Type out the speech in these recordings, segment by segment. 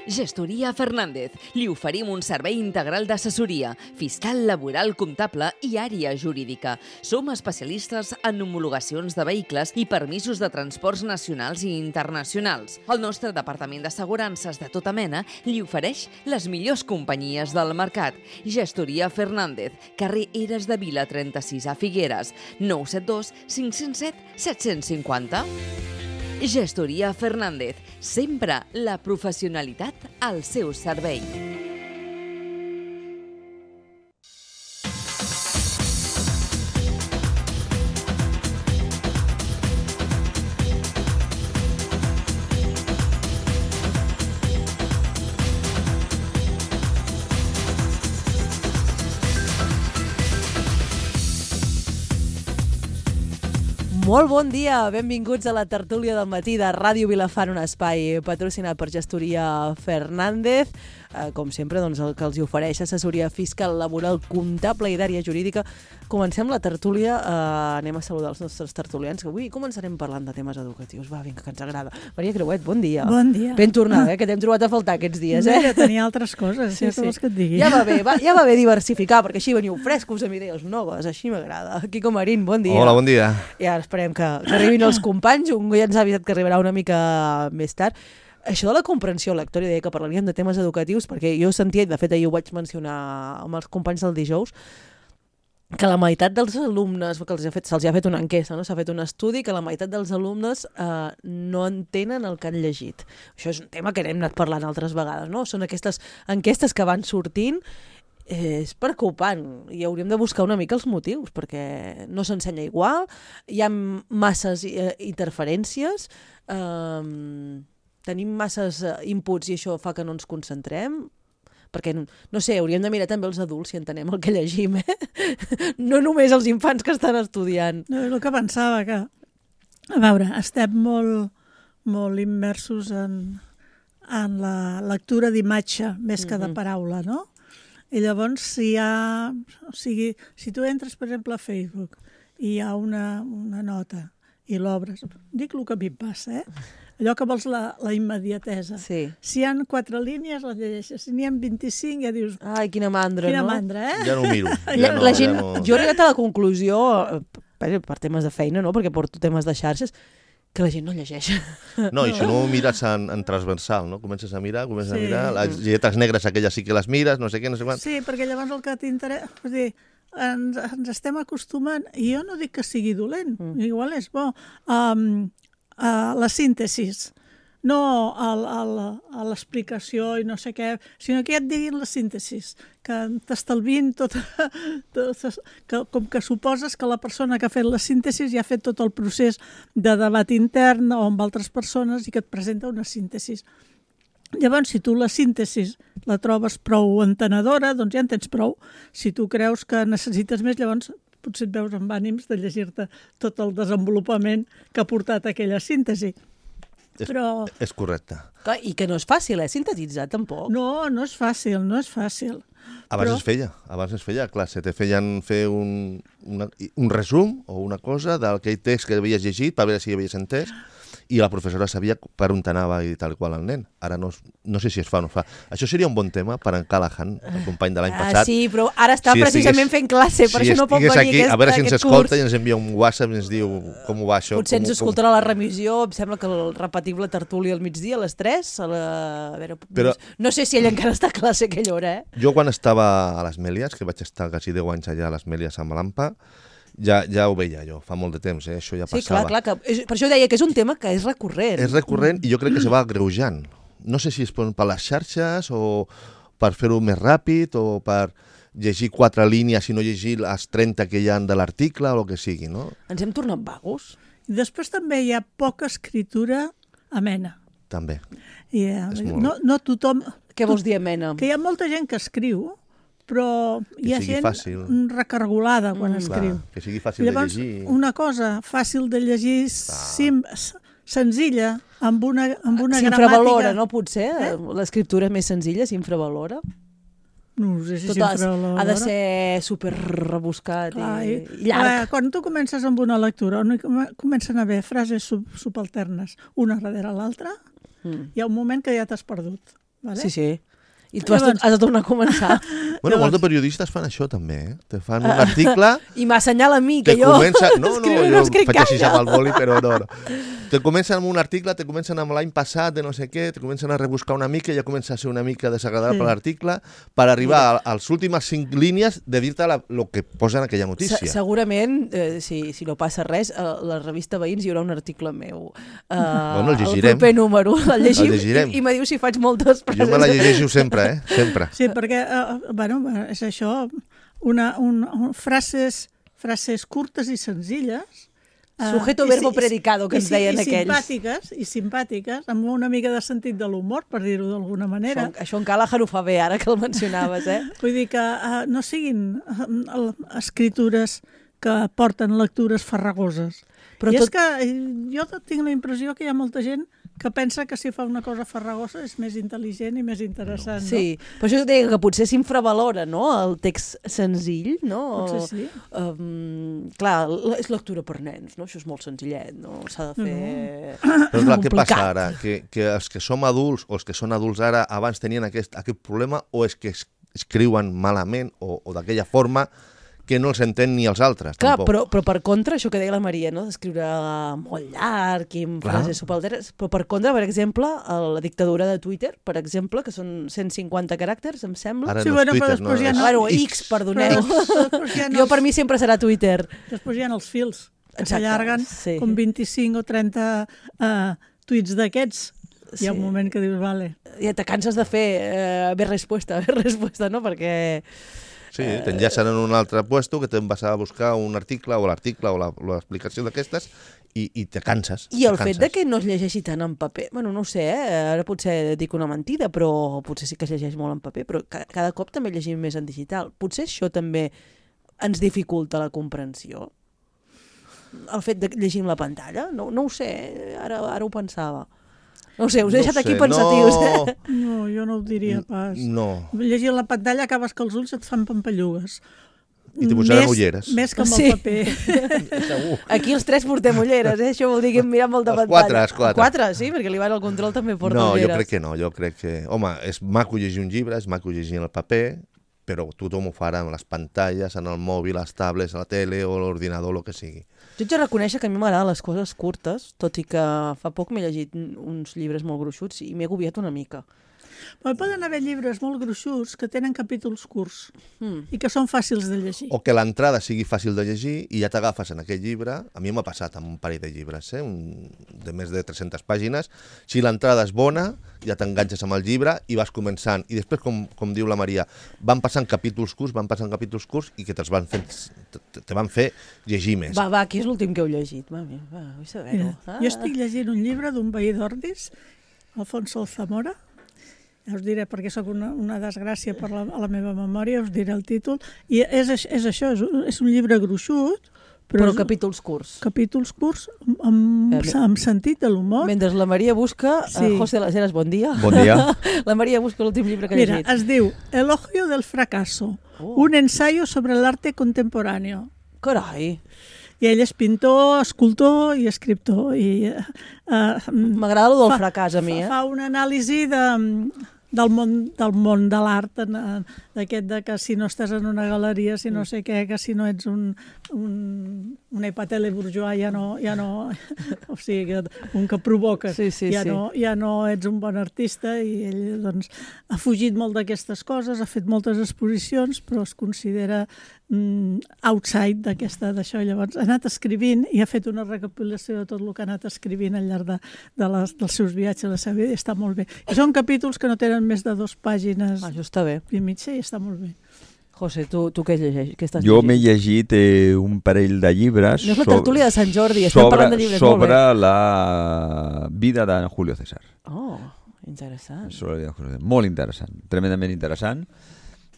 Gestoria Fernández. Li oferim un servei integral d'assessoria, fiscal, laboral, comptable i àrea jurídica. Som especialistes en homologacions de vehicles i permisos de transports nacionals i internacionals. El nostre departament d'assegurances de tota mena li ofereix les millors companyies del mercat. Gestoria Fernández, carrer Eres de Vila 36 a Figueres, 972 507 750. Gestoria Fernández, sempre la professionalitat al seu servei. Molt bon dia, benvinguts a la tertúlia del matí de Ràdio Vilafant, un espai patrocinat per Gestoria Fernández. Com sempre, doncs, el que els ofereix assessoria fiscal, laboral, comptable i d'àrea jurídica. Comencem la tertúlia, anem a saludar els nostres tertulians, que avui començarem parlant de temes educatius. Va, vinga, que ens agrada. Maria Creuet, bon dia. Bon dia. Ben tornada, que t'hem trobat a faltar aquests dies, eh? Ja tenia altres coses, sí. Vols que et digui. Ja va bé diversificar, perquè així veniu frescos amb idees noves, així m'agrada. Quico Marín, bon dia. Hola, bon dia. I ara esperem que arribin els companys, un ja ens ha avisat que arribarà una mica més tard. Això de la comprensió lectora, deia que parlaríem de temes educatius, perquè jo sentia, i de fet ahir ho vaig mencionar amb els companys del dijous, que la meitat dels alumnes, que se'ls ha fet una enquesta, no? S'ha fet un estudi, que la meitat dels alumnes no entenen el que han llegit. Això és un tema que hem anat parlant altres vegades, no? Són aquestes enquestes que van sortint. És preocupant i hauríem de buscar una mica els motius, perquè no s'ensenya igual, hi ha masses interferències, tenim masses inputs i això fa que no ens concentrem, perquè, no sé, hauríem de mirar també els adults si entenem el que llegim, no només els infants que estan estudiant. No, és el que pensava, que, a veure, estem molt immersos en la lectura d'imatge més que de paraula, no? I llavors, si tu entres, per exemple, a Facebook i hi ha una nota i l'obres, dic el que a mi em passa, allò que vols la immediatesa. Sí. Si hi ha 4 línies, les llegeixes. Si n'hi ha 25, ja dius... Ai, quina mandra, quina no? mandra, Ja no ho miro. Jo he arribat a la conclusió, per temes de feina, no? Perquè porto temes de xarxes, que la gent no llegeix. No, i si no ho mires en transversal, no? Comences a mirar, les lletres negres aquelles sí que les mires, no sé què, no sé quant. Sí, perquè llavors el que t'interessa... És dir, ens estem acostumant, i jo no dic que sigui dolent, igual és bo, a la síntesi, no a l'explicació i no sé què, sinó que ja et diguin la síntesi, que t'estalvin tot, com que suposes que la persona que ha fet la síntesi ja ha fet tot el procés de debat intern o amb altres persones i que et presenta una síntesi. Llavors, si tu la síntesi la trobes prou entenedora, doncs ja en tens prou. Si tu creus que necessites més, llavors potser et veus amb ànims de llegir-te tot el desenvolupament que ha portat aquella síntesi. Però... És correcte. I que no és fàcil, sintetitzar, tampoc. No, no és fàcil, no és fàcil. Abans es feia a classe, te feien fer un resum o una cosa d'aquell text que havies llegit per veure si havies entès, i la professora sabia per on anava i tal qual el nen. Ara no sé si es fa o no es fa. Això seria un bon tema per en Callahan, el company de l'any passat. Sí, però ara està precisament fent classe, per això no pot venir aquí, a veure si ens escolta i ens envia un WhatsApp i ens diu com ho va això. Potser ens escoltarà la remissió, em sembla que el repetim la tertúlia al migdia, a les 3. No sé si ell encara està a classe a aquella hora, Jo quan estava a les Mèlies, que vaig estar quasi 10 anys allà a les Mèlies amb l'AMPA, ja ho veia jo, fa molt de temps, això ja passava. Sí, clar, per això deia que és un tema que és recurrent. És recurrent i jo crec que se va agreujant. No sé si és per les xarxes o per fer-ho més ràpid o per llegir 4 línies i no llegir les 30 que hi ha de l'article o el que sigui, no? Ens hem tornat vagos. I després també hi ha poca escriptura amena. També. No tothom... Què vols dir amena? Que hi ha molta gent que escriu, però hi ha gent recargolada quan escriu. Que sigui fàcil de llegir. Llavors, una cosa fàcil de llegir, senzilla, amb una gramàtica... S'infravalora, no? Potser l'escriptura més senzilla s'infravalora. No sé si s'infravalora. Ha de ser super rebuscat i llarg. Quan tu comences amb una lectura, on comencen a haver frases subalternes una darrere l'altra, hi ha un moment que ja t'has perdut. Vale? Sí. I tu has de tornar a començar. Bueno, molts de periodistes fan això també, eh? Te fan un article... I m'assenyala a mi, que te jo... comença... No, escriure jo escric faig així gaire. amb el boli, però no. Te comencen amb un article, te comencen amb l'any passat de no sé què, te comencen a rebuscar una mica i ja comença a ser una mica desagradable l'article per arribar a les últimes 5 línies de dir-te el que posa en aquella notícia. Segurament, si no passa res, a la revista Veïns hi haurà un article meu. Bueno, el llegirem. El proper número. El llegim El i me diu si faig moltes frases. Jo me la llegeixo sempre, sempre. Sí, perquè, és això, frases curtes i senzilles, Sujeto, verbo, predicado, que ens deien aquells. I simpàtiques, amb una mica de sentit de l'humor, per dir-ho d'alguna manera. Això en Callahan ho fa bé, ara que el mencionaves, eh? Vull dir que no siguin escritures que porten lectures farragoses. I és que jo tinc la impressió que hi ha molta gent que pensa que si fa una cosa farragosa és més intel·ligent i més interessant. Sí, però això deia que potser s'infravalora, no?, el text senzill, no? Potser sí. Clar, és lectura per nens, no? Això és molt senzillet, no? S'ha de fer... Però clar, què passa ara? Que els que som adults o els que són adults ara abans tenien aquest problema o és que escriuen malament o d'aquella forma que no els entén ni els altres, clar, tampoc. Però per contra, això que deia la Maria, no?, d'escriure molt llarg i amb frases subalteres, però per contra, per exemple, la dictadura de Twitter, per exemple, que són 150 caràcters, em sembla. Ara no és Twitter, no, és Bueno, X, perdoneu. Jo per mi sempre serà Twitter. Després hi ha els fils, que Exacte, s'allarguen com 25 o 30 tuits d'aquests. Hi ha un moment que dius, vale. Ja te canses de fer haver respuesta, no?, perquè... Sí, t'enllacen en un altre puesto que te'n vas a buscar un article o l'explicació d'aquestes i te canses. I el fet de que no es llegeixi tant en paper, bueno, no ho sé, ara potser dic una mentida, però potser sí que es llegeix molt en paper, però cada cop també llegim més en digital. Potser això també ens dificulta la comprensió? El fet de llegir la pantalla? No ho sé, ara ho pensava. No ho sé, us he deixat aquí pensatius. No, jo no ho diria pas. No. Llegir la pantalla acabes que els ulls et fan pampallugues. I te posaran ulleres. Més que amb el paper. Segur. Aquí els 3 portem ulleres, això vol dir que hem mirat molta pantalla. Els 4. 4, sí, perquè l'Ivan al control també porta ulleres. No, jo crec que no, jo crec que... Home, és maco llegir un llibre, és maco llegir en el paper, però tothom ho farà amb les pantalles, en el mòbil, les tablets, la tele o l'ordinador, el que sigui. Jo haig de reconèixer que a mi m'agraden les coses curtes, tot i que fa poc m'he llegit uns llibres molt gruixuts i m'he agobiat una mica. Però poden haver llibres molt gruixuts que tenen capítols curts i que són fàcils de llegir. O que l'entrada sigui fàcil de llegir i ja t'agafes en aquell llibre. A mi m'ha passat amb un parell de llibres, de més de 300 pàgines. Si l'entrada és bona, ja t'enganxes amb el llibre i vas començant. I després, com diu la Maria, van passant capítols curts i que te van fer llegir més. Va, qui és l'últim que heu llegit? Va, vull saber-ho. Jo estic llegint un llibre d'un veí d'Ordis, Alfonso Zamora. Ja us diré, perquè sóc una desgràcia per a la meva memòria, us diré el títol. I és això, és un llibre gruixut, però capítols curts. Capítols curts amb sentit de l'humor. Mentre la Maria busca... José Las Heras, bon dia. Bon dia. La Maria busca l'últim llibre que ha llegit. Mira, es diu Elogio del fracaso, un ensayo sobre l'arte contemporáneo. Carai! I ell és pintor, escultor i escriptor. M'agrada el del fracàs, a mi. Fa una anàlisi del món de l'art, d'aquest de que si no estàs en una galeria, si no sé què, que si no ets un epatele bourgeois ja no o sigui, un que provoques, ja no ets un bon artista, i ell doncs ha fugit molt d'aquestes coses, ha fet moltes exposicions, però es considera outside d'això. Llavors ha anat escrivint i ha fet una recopilació de tot el que ha anat escrivint al llarg dels seus viatges a la seva vida, i està molt bé. I són capítols que no tenen més de 2 pàgines i mitja, i està molt bé. José, tu què llegeix? Jo m'he llegit un parell de llibres no és la tertúlia de Sant Jordi, estem parlant de llibres molt bé. Sobre la vida de Julio César. Oh, interessant. Molt interessant, tremendament interessant.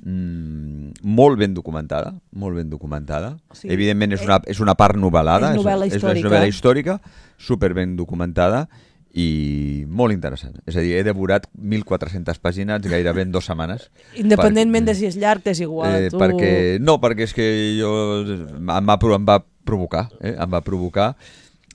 Molt ben documentada, Sí. Evidentment és una part novel·lada, és novel·la històrica, super ben documentada i molt interessant. És a dir, he devorat 1.400 pàgines gairebé en 2 setmanes. Independentment de si és llarg, és igual. Perquè és que em va provocar. Em va provocar.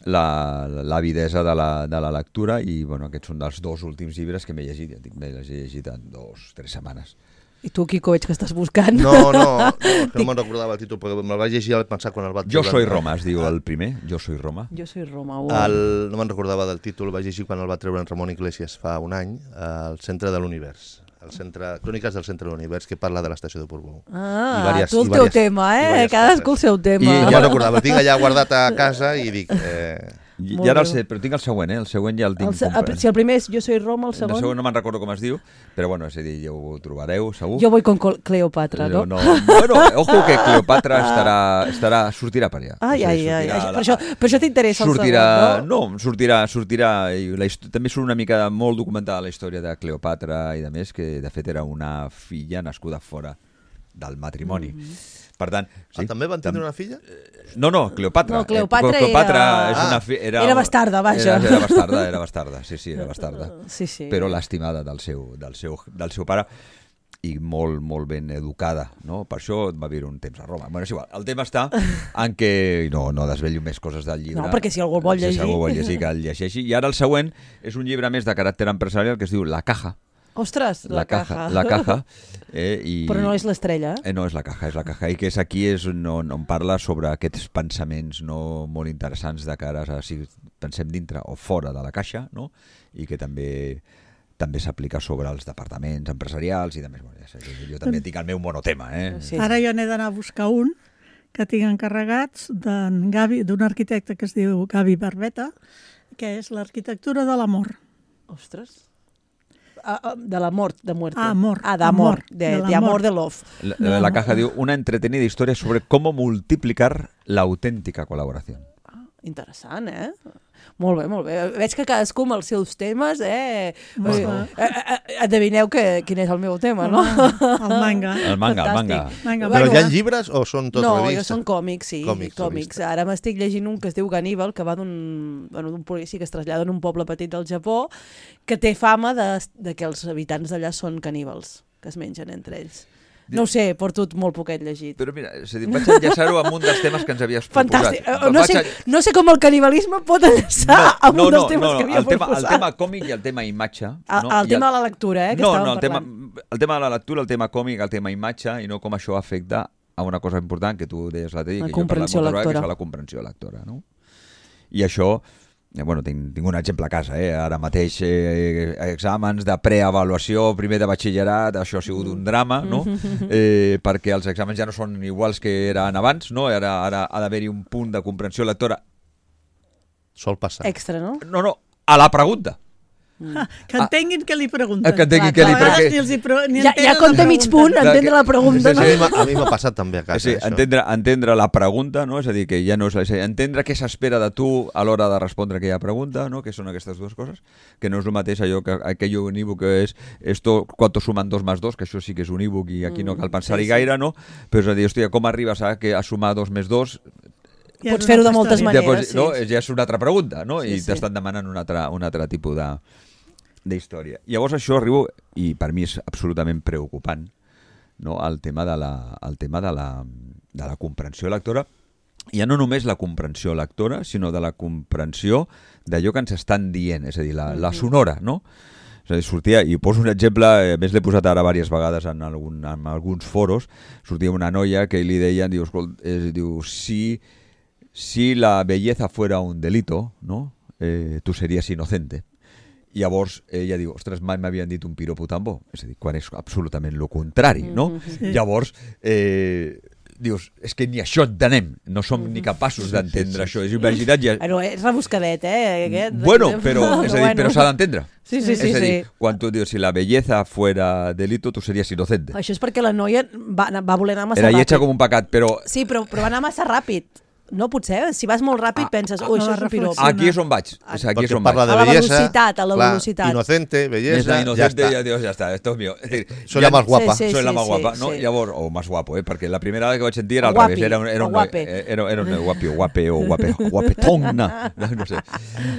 l'avidesa de la lectura i aquests són dels 2 últims llibres que m'he llegit. Ja dic, m'he llegit en 2 o 3 setmanes. I tu, Quico, veig que estàs buscant. No, és que no me'n recordava el títol, perquè me'l vaig llegir al pensar quan el vaig... Jo soy Roma, es diu el primer. Jo soy Roma. Jo soy Roma. No me'n recordava del títol, el vaig llegir quan el va treure en Ramon Iglesias fa un any, al Centre de l'Univers. Cròniques del Centre de l'Univers, que parla de l'estació de Portbou. Tu el teu tema, cadascú el seu tema. I ja recordava, el tinc allà guardat a casa i dic... I ara el sé, però tinc el següent, el següent ja el tinc comprat. Si el primer és Jo soy Roma, el segon... El segon no me'n recordo com es diu, però bueno, és a dir, ja ho trobareu, segur. Jo voy con Cleopatra, no? Bueno, ojo que Cleopatra sortirà per allà. Per això t'interessa el segon, no? No, sortirà, també surt una mica molt documentada la història de Cleopatra i de més, que de fet era una filla nascuda fora del matrimoni. Per tant... També van tenir una filla? No, Cleopatra. No, Cleopatra era bastarda, vaja. Era bastarda, sí, era bastarda. Sí. Però l'estimada del seu pare i molt, molt ben educada, no? Per això va viure un temps a Roma. Bueno, és igual. El tema està en què... No desvello més coses del llibre. No, perquè si algú el vol llegir... Si algú vol llegir, que el llegeixi. I ara el següent és un llibre més de caràcter empresarial que es diu La Caja. Ostres, la caja. La caja. Però no és l'estrella. No, és la caja. I que és aquí on parla sobre aquests pensaments molt interessants de cara a si pensem dintre o fora de la caixa, no? I que també s'aplica sobre els departaments empresarials i demés. Jo també tinc el meu monotema. Sí. Ara jo n'he d'anar a buscar un que tinc encarregats d'un arquitecte que es diu Gavi Barbeta, que és l'arquitectura de l'amor. Ostres. De la muerte. Amor. De amor, de amor, de love. La caja diu una entretenida historia sobre cómo multiplicar la auténtica colaboración. Interessant, Molt bé. Veig que cadascú amb els seus temes, endevineu quin és el meu tema, no? El manga. El manga. Però hi ha llibres o són tot revistes? No, jo són còmics, sí. Còmics. Ara m'estic llegint un que es diu Ganníbal, que va d'un policia que es trasllada en un poble petit del Japó, que té fama de que els habitants d'allà són caníbals, que es mengen entre ells. No ho sé, porto molt poquet llegit. Però mira, vaig enllaçar-ho amb un dels temes que ens havies proposat. Fantàstic. No sé com el canibalisme pot enllaçar amb un dels temes que havia proposat. El tema còmic i el tema imatge. El tema de la lectura, que estàvem parlant. El tema de la lectura, el tema còmic, el tema imatge, i no com això afecta a una cosa important que tu deies l'altre dia, que jo he parlat moltes vegades, que és la comprensió lectora. I això... Bueno, tinc un exemple a casa, ara mateix exàmens de preavaluació, primer de batxillerat, això ha sigut un drama, no? Perquè els exàmens ja no són iguals que eren abans, no? Ara ha d'haver-hi un punt de comprensió lectora. Sol passar. Extra, no? No, a la pregunta. Que entenguin què li pregunten. Que entenguin què li pregunten. Ja compta mig punt, entendre la pregunta. A mi m'ha passat també a casa. Sí, entendre la pregunta, no? És a dir, que ja no és entendre què s'espera de tu a l'hora de respondre aquella pregunta, no? Que són aquestes dues coses, que no és el mateix allò que aquell unívoc que és esto, ¿cuánto suman 2 más 2? Que això sí que és unívoc i aquí no cal pensar-hi gaire, no? Però és a dir, hòstia, com arribes a sumar 2 més 2? Pots fer-ho de moltes maneres. Ja és una altra pregunta, no? I t'estan demanant un altre tipus d'història. Llavors això arribo, i per mi és absolutament preocupant, no? el tema de la comprensió lectora, ja no només la comprensió lectora, sinó de la comprensió d'allò que ens estan dient, és a dir, la sonora, no? És a dir, sortia, i poso un exemple, a més l'he posat ara diverses vegades en alguns foros, sortia una noia que li deien, diu, si la belleza fuera un delito, ¿no? Tu series inocente. I llavors ella diu, ostres, mai m'havien dit un piropo tan bo. És a dir, quan és absolutament el contrari, no? Sí. Llavors, dius, és que ni això entenem, no som ni capaços d'entendre això. És imagina't ja... Bueno, és rebuscadet, aquest. Bueno, però s'ha d'entendre. Sí. És a dir, quan tu dius, si la belleza fuera delito, tu series inocente. Això és perquè la noia va voler anar massa ràpid. Era lletja com un pecat, però... Sí, però va anar massa ràpid. No, potser, si vas molt ràpid penses, això és un pirop. Aquí és on vaig. Aquí parla de bellesa. A la velocitat. Inocente, bellesa, inocente, ya está, esto es mío. Soy la más guapa. Soy la más guapa, ¿no? Llavors, o más guapo, perquè la primera vez que vaig sentir era al revés. Era un guape o guapetón, no sé.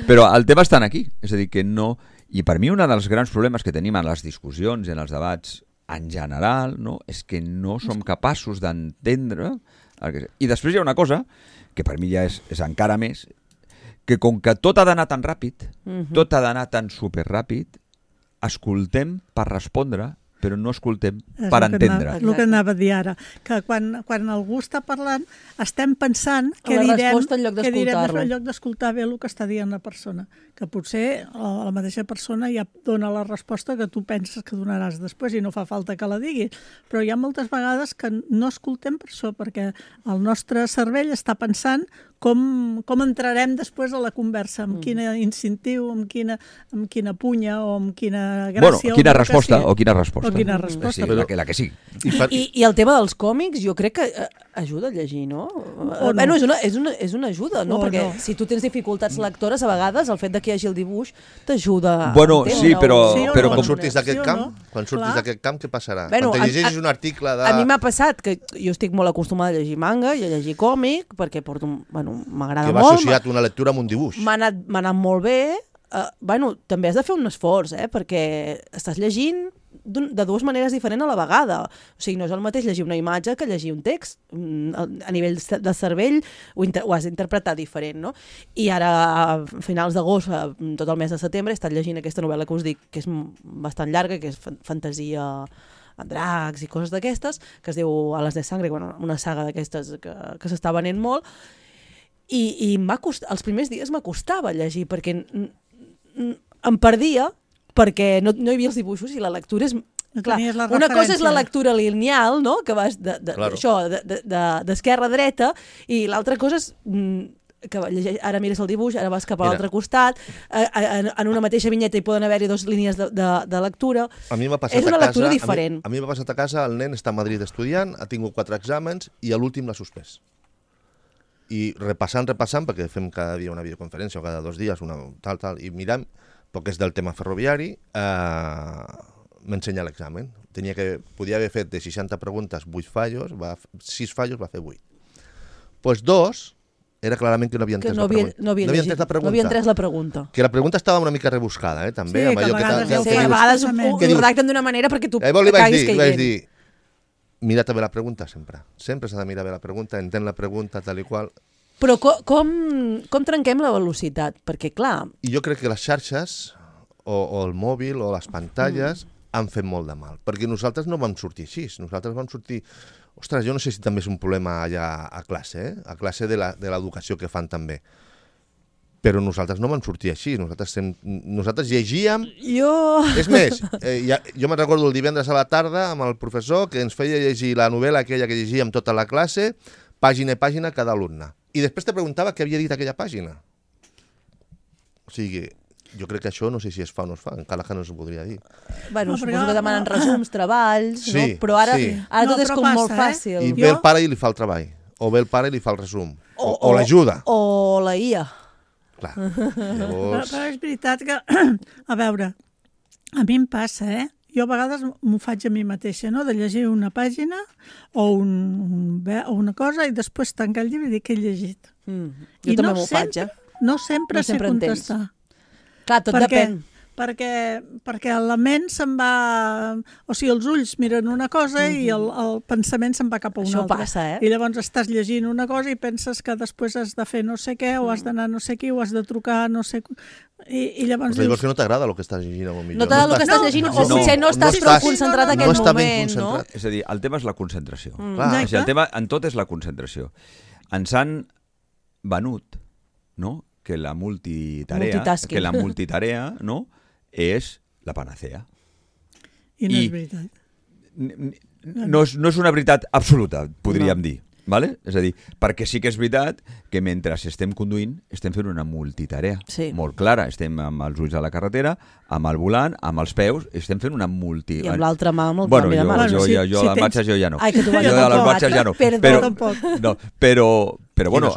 Però el tema està aquí, és a dir, que no... I per mi un dels grans problemes que tenim en les discussions i en els debats en general, no, és que no som capaços d'entendre... I després hi ha una cosa que per mi ja és encara més, que com que tot ha d'anar tan ràpid, tot ha d'anar tan superràpid, escoltem per respondre, però no escoltem per entendre. El que anava a dir ara, que quan algú està parlant estem pensant què direm en lloc d'escoltar bé el que està dient la persona, que potser la mateixa persona ja dona la resposta que tu penses que donaràs després i no fa falta que la diguis, però hi ha moltes vegades que no escoltem per això, perquè el nostre cervell està pensant com entrarem després a la conversa, amb quin incentiu, amb quina punya o amb quina gràcia. Quina resposta. Sí, la que sí. I el tema dels còmics jo crec que ajuda a llegir, no? Bueno, és una ajuda, no? Perquè si tu tens dificultats lectores, a vegades el fet de que hi hagi el dibuix t'ajuda a entendre. Sí, però quan surtis d'aquest camp, què passarà? Quan te llegeixis un article de... A mi m'ha passat que jo estic molt acostumada a llegir manga i a llegir còmic, perquè m'agrada molt. Que va associat una lectura amb un dibuix. M'ha anat molt bé. També has de fer un esforç, perquè estàs llegint de dues maneres diferents a la vegada. O sigui, no és el mateix llegir una imatge que llegir un text. A nivell de cervell ho has d'interpretar diferent, no? I ara, a finals d'agost, tot el mes de setembre, he estat llegint aquesta novel·la que us dic, que és bastant llarga, que és fantasia amb dracs i coses d'aquestes, que es diu Alas de Sangre, una saga d'aquestes que s'està venent molt, i els primers dies m'acostava llegir, perquè em perdia, perquè no hi havia els dibuixos i la lectura és... Clar, una cosa és la lectura lineal, no? Que vas d'esquerra a dreta, i l'altra cosa és que ara mires el dibuix, ara vas cap a l'altre costat, en una mateixa vinyeta hi poden haver-hi dues línies de lectura. És una lectura diferent. A mi m'ha passat a casa, el nen està a Madrid estudiant, ha tingut 4 exàmens i a l'últim l'ha suspès. I repassant, perquè fem cada dia una videoconferència o cada 2 dies, i mirant, perquè és del tema ferroviari, m'ensenya l'examen. Podia haver fet de 60 preguntes 8 fallos, 6 fallos va fer 8. Doncs 2 era clarament que no havia entès la pregunta. No havia entès la pregunta. Que la pregunta estava una mica rebuscada, també. Sí, que a vegades ho redacten d'una manera perquè tu caiguis caient. Li vaig dir, mira també la pregunta sempre. Sempre s'ha de mirar bé la pregunta, entén la pregunta, tal i qual. Però com trenquem la velocitat? Perquè, clar... I jo crec que les xarxes, o el mòbil, o les pantalles, han fet molt de mal. Perquè nosaltres no vam sortir així. Nosaltres vam sortir... Ostres, jo no sé si també és un problema allà a classe, a classe de l'educació que fan també. Però nosaltres no vam sortir així. Nosaltres llegíem... És més, jo me'n recordo el divendres a la tarda amb el professor que ens feia llegir la novel·la aquella que llegíem tota la classe, pàgina a pàgina cada alumne. I després te preguntava què havia dit aquella pàgina. O sigui, jo crec que això no sé si es fa o no es fa, encara que no s'ho podria dir. Bueno, suposo que demanen resums, treballs, no? Però ara tot és com molt fàcil. I ve el pare i li fa el treball. O ve el pare i li fa el resum. O l'ajuda. O la IA. Clar. Però és veritat que, a veure, a mi em passa, jo a vegades m'ho faig a mi mateixa, no? De llegir una pàgina o una cosa i després tancar el llibre i dir que he llegit. Jo també m'ho faig, No sempre sé contestar. Clar, tot depèn. Perquè la ment se'n va... O sigui, els ulls miren una cosa i el pensament se'n va cap a una altra. Això passa, I llavors estàs llegint una cosa i penses que després has de fer no sé què, o has d'anar no sé qui, o has de trucar no sé... I llavors dius... Llavors que no t'agrada el que estàs llegint, potser. No t'agrada el que estàs llegint, o potser no estàs prou concentrat en aquell moment, no? És a dir, el tema és la concentració. El tema en tot és la concentració. Ens han venut, no?, que la multitarea, no?, és la panacea. I no és veritat. No és una veritat absoluta, podríem dir. Vale? És a dir, perquè sí que és veritat que mentre estem conduint estem fent una multitarea molt clara. Estem amb els ulls a la carretera, amb el volant, amb els peus, estem fent una I amb l'altra mà amb el canvi de mà. Jo les marxes jo ja no. Ai, que tu vas jo de les marxes ja no. Però bueno,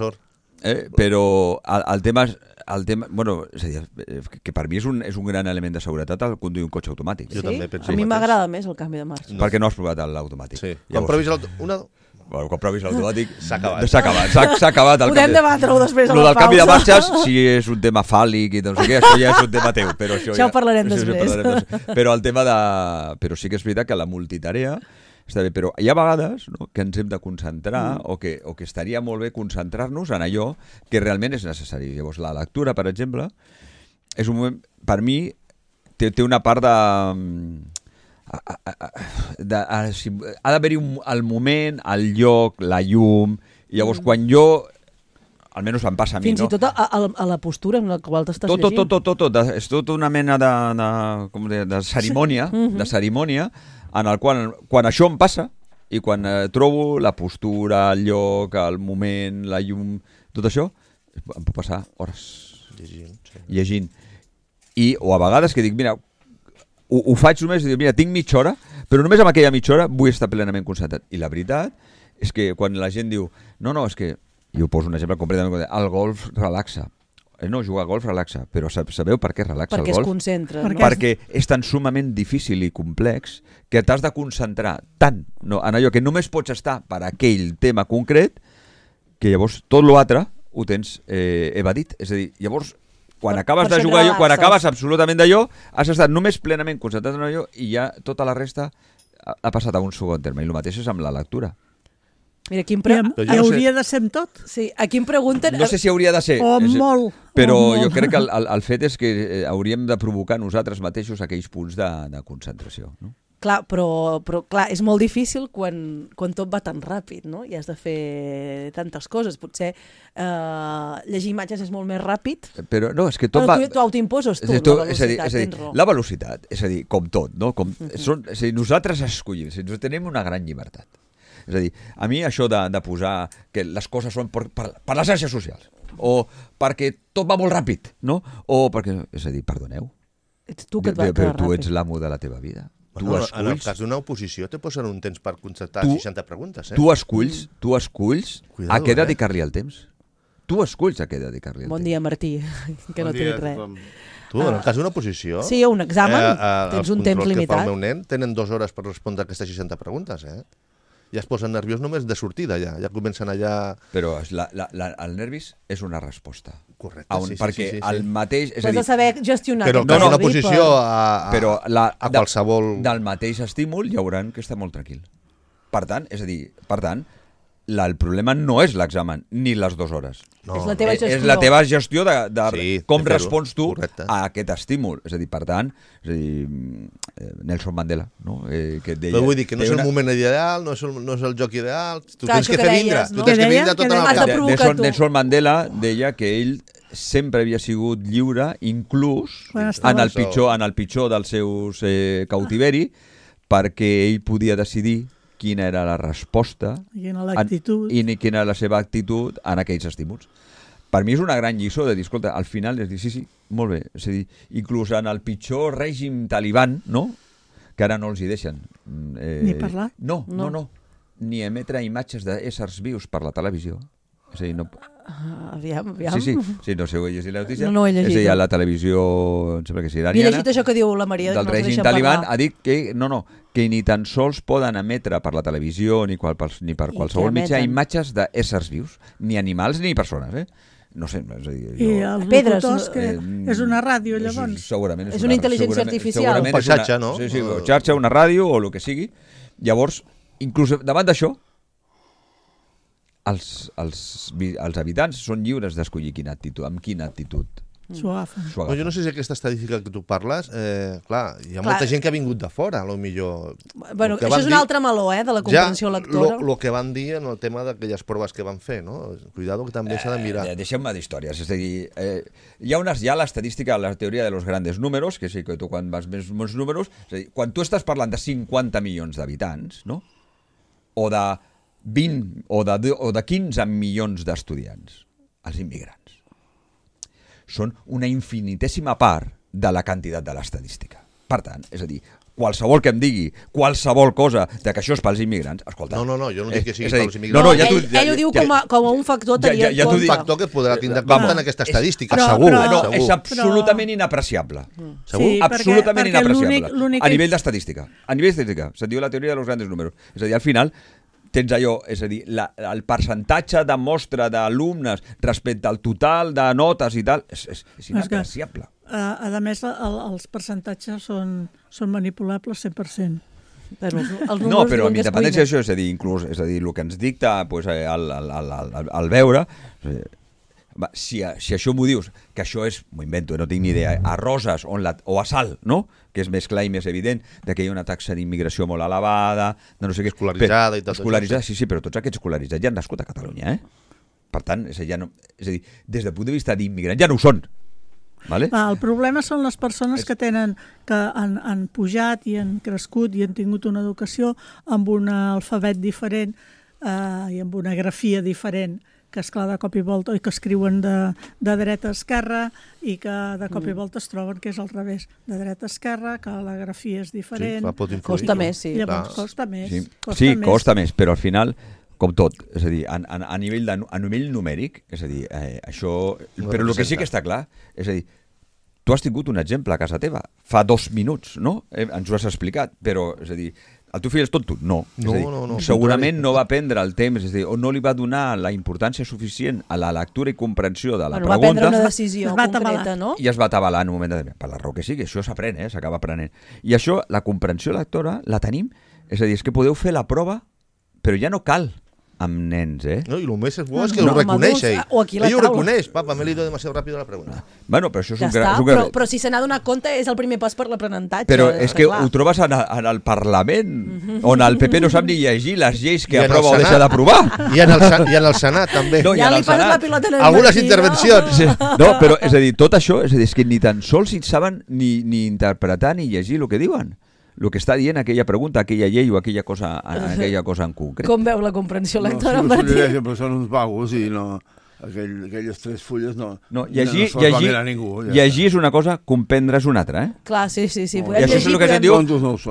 però el tema bueno, és a dir, que per mi és un gran element de seguretat el conduir un cotxe automàtic. Jo també penso. A mi m'agrada més el canvi de marxa. Perquè no has provat l'automàtic. Sí. Quan provis l'automàtic s'ha acabat. Podem debatre-ho després a la pausa. El canvi de marxes, si és un tema fàl·lic i no sé què, això ja és un tema teu. Però això ho parlarem després. Però el tema de... Però sí que és veritat que la multitarea està bé, però hi ha vegades, no?, que ens hem de concentrar o que estaria molt bé concentrar-nos en allò que realment és necessari. Llavors, la lectura, per exemple, és un moment, per mi, té una part ha d'haver-hi el moment, el lloc, la llum, i llavors quan jo, almenys em passa a mi, fins i tot a la postura en la qual t'estàs llegint. Tot. És tota una mena de cerimònia, en el qual, quan això em passa, i quan trobo la postura, el lloc, el moment, la llum, tot això, em puc passar hores llegint. O a vegades que dic, mira, ho faig només i dic, mira, tinc mitja hora, però només amb aquella mitja hora vull estar plenament concentrat. I la veritat és que quan la gent diu, no, és que, i ho poso un exemple completament, el golf relaxa. No, jugar a golf relaxa, però sabeu per què relaxa el golf? Perquè es concentra. Perquè és tan sumament difícil i complex que t'has de concentrar tant en allò que només pots estar per aquell tema concret que llavors tot l'altre ho tens evadit. És a dir, llavors quan acabes de jugar allò, quan acabes absolutament d'allò, has estat només plenament concentrat en allò i ja tota la resta ha passat a un segon terme. I el mateix és amb la lectura. Mira, hauria de ser amb tot? Sí, aquí em pregunten... No sé si hauria de ser. Molt. Però jo crec que el fet és que hauríem de provocar nosaltres mateixos aquells punts de concentració, no? Clar, però clar, és molt difícil quan tot va tan ràpid, no? I has de fer tantes coses. Potser llegir imatges és molt més ràpid. Però no, és que tot va... Tu autoimposes la velocitat, tens raó. La velocitat, és a dir, com tot, no? Nosaltres escollim, tenim una gran llibertat. És a dir, a mi això de posar que les coses són per les xarxes socials, o perquè tot va molt ràpid, no? O perquè, és a dir, perdoneu, ets tu que et va però tu ets l'amo de la teva vida. Bueno, en el cas d'una oposició te posen un temps per contestar 60 preguntes. Tu esculls a què dedicar-li el temps. Tu esculls a què dedicar-li el temps. Bon dia, Martí, que no t'he dit res. Tu, en el cas d'una oposició... Sí, un examen, tens un temps limitat. Els controls que fa el meu nen tenen 2 hores per respondre aquestes 60 preguntes, Ja es posen nerviós només de sortida, ja comencen allà... Però el nervis és una resposta. Correcte, sí. Perquè el mateix... Has de saber gestionar. Però que una posició a qualsevol... Del mateix estímul hi haurà que estar molt tranquil. Per tant, el problema no és l'examen ni les 2 hores. No. És la teva gestió. És la teva gestió de com respons tu a aquest estímul. És a dir, per tant, Nelson Mandela, no? Que deia, però vull dir que no és el moment ideal, no és el joc ideal, tu tens que fer vindre, tu tens que vindre tot en el cap. Nelson Mandela deia que ell sempre havia sigut lliure, inclús en el pitjor dels seus cautiveri, perquè ell podia decidir quina era la resposta i quina era la seva actitud en aquells estímuls. Per mi és una gran lliçó de dir, escolta, al final és dir, sí, molt bé, és a dir, inclús en el pitjor règim taliban, no?, que ara no els hi deixen. Ni parlar? No, ni emetre imatges d'éssers vius per la televisió. És a dir, no... Aviam. Sí, no sé, ho he llegit la notícia. No ho he llegit. És a dir, a la televisió, em sembla que és iraniana. I he llegit això que diu la Maria, del règim taliban, ha dit que que ni tan sols poden emetre per la televisió ni per qualsevol mitjà imatges d'éssers vius, ni animals ni persones, No sé, és a dir... I els locutors, que és una ràdio, llavors? Segurament és una intel·ligència artificial. Un paisatge, no? Sí, xarxa, una ràdio o el que sigui. Llavors, inclús davant d'això, els habitants són lliures d'escollir amb quina actitud s'ho No, jo no sé si aquesta estadística que tu parles, clar, hi ha molta gent que ha vingut de fora, potser. Bueno, això és un altre meló, de la comprensió lectora. El que van dir en el tema d'aquelles proves que van fer, no? Cuidado, que també s'ha de mirar. Deixem-me d'històries, és a dir, hi ha l'estadística, la teoria de los grandes números, que sí que tu quan vas més números, és a dir, quan tu estàs parlant de 50 milions d'habitants, no? O de 20 o de 15 milions d'estudiants, els immigrants són una infinitèsima part de la quantitat de l'estadística. Per tant, és a dir, qualsevol que em digui qualsevol cosa de que això és pels immigrants, escolta... No, jo no dic que sigui pels immigrants. Ell ho diu com a un factor tenia en compte. Un factor que podrà tindre en compte en aquesta estadística, segur. És absolutament inapreciable. Segur? Absolutament inapreciable. A nivell d'estadística. A nivell d'estadística. Se'n diu la teoria de los grandes números. És a dir, al final... tens allò, és a dir, el percentatge de mostra d'alumnes respecte al total de notes i tal, és inapreciable. A més, els percentatges són manipulables 100%. No, però amb independència d'això, és a dir, inclús, és a dir, el que ens dicta al veure... Si això m'ho dius, que això és, m'ho invento, no tinc ni idea, a Roses o a Salt, no? Que és més clar i més evident, que hi ha una taxa d'immigració molt elevada, de no sé què... Escolaritzada i tot. Escolaritzada, sí, però tots aquests escolaritzats ja han nascut a Catalunya, Per tant, és a dir, des del punt de vista d'immigrants ja no ho són. Vale? El problema són les persones que han pujat i han crescut i han tingut una educació amb un alfabet diferent i amb una grafia diferent, que esclar de cop i volta, i que escriuen de dreta a esquerra i que de cop i volta es troben que és al revés, de dreta a esquerra, que la grafia és diferent. Sí, costa més, sí. Llavors costa més. Sí, costa més, però al final, com tot, és a dir, a nivell numèric, és a dir, això... Però el que sí que està clar, és a dir, tu has tingut un exemple a casa teva, fa 2 minuts, no? Ens ho has explicat, però, és a dir, el teu fill és tonto? No. No. Segurament no va prendre el temps, és a dir, o no li va donar la importància suficient a la lectura i comprensió de la pregunta. Va prendre una decisió concreta, no? I es va atabalar en un moment per la raó que sigui. Això s'aprèn, s'acaba aprenent. I això, la comprensió lectora, la tenim. És a dir, és que podeu fer la prova, però ja no cal amb nens, No, i el més bo és que ho reconeix ell. Ell ho reconeix. Papa, me l'he ido demasiado rápido la pregunta. Bueno, però això és ja està, però si se n'ha donat compte és el primer pas per l'aprenentatge. Però és que ho trobes en el Parlament, on el PP no sap ni llegir les lleis que aprova o deixa d'aprovar. I en el Senat, també. No, ja li passes la pilota en el algunes intervencions. No, però és a dir, tot això, és que ni tan sols saben ni interpretar ni llegir el que diuen. El que està dient aquella pregunta, aquella llei o aquella cosa en concret. Com veu la comprensió lectora, Martí? Però són uns vagos i no... Aquelles 3 fulles no llegir ningú. Llegir és una cosa, comprendre és una altra, Clar, sí. I això és el que se'n diu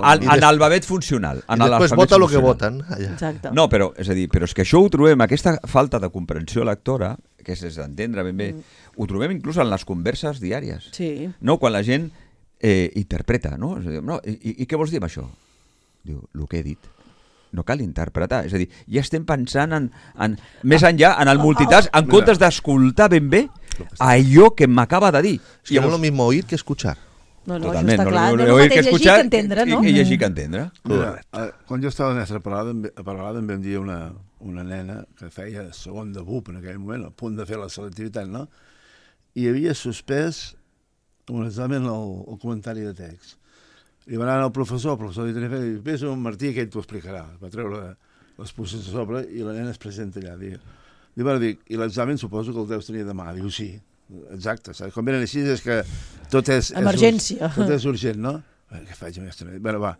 analfabet funcional. I després vota el que voten. Exacte. No, però és que això ho trobem, aquesta falta de comprensió lectora, que és d'entendre ben bé, ho trobem inclús en les converses diàries. Sí. No, quan la gent interpreta, no? I què vols dir amb això? Diu, el que he dit. No cal interpretar. És a dir, ja estem pensant en més enllà, en el multitask, en comptes d'escoltar ben bé allò que m'acaba de dir. És que no és el mismo oír que escuchar. No, això està clar. No és el mateix llegir que entendre, no? I llegir que entendre. Quan jo estava a Mestre Paralada em vam dir una nena que feia segon de BUP en aquell moment, a punt de fer la selectivitat, no? I havia suspès un examen al comentari de text. Li va anar al professor, el professor li tenia fet, vés a un Martí que ell t'ho explicarà. Va treure les posses a sobre i la nena es presenta allà. I l'examen suposo que el deus tenir demà. Diu, sí, exacte. Quan venen així és que tot és... Emergència. Tot és urgent, no? Què faig, mestre? Bé, va.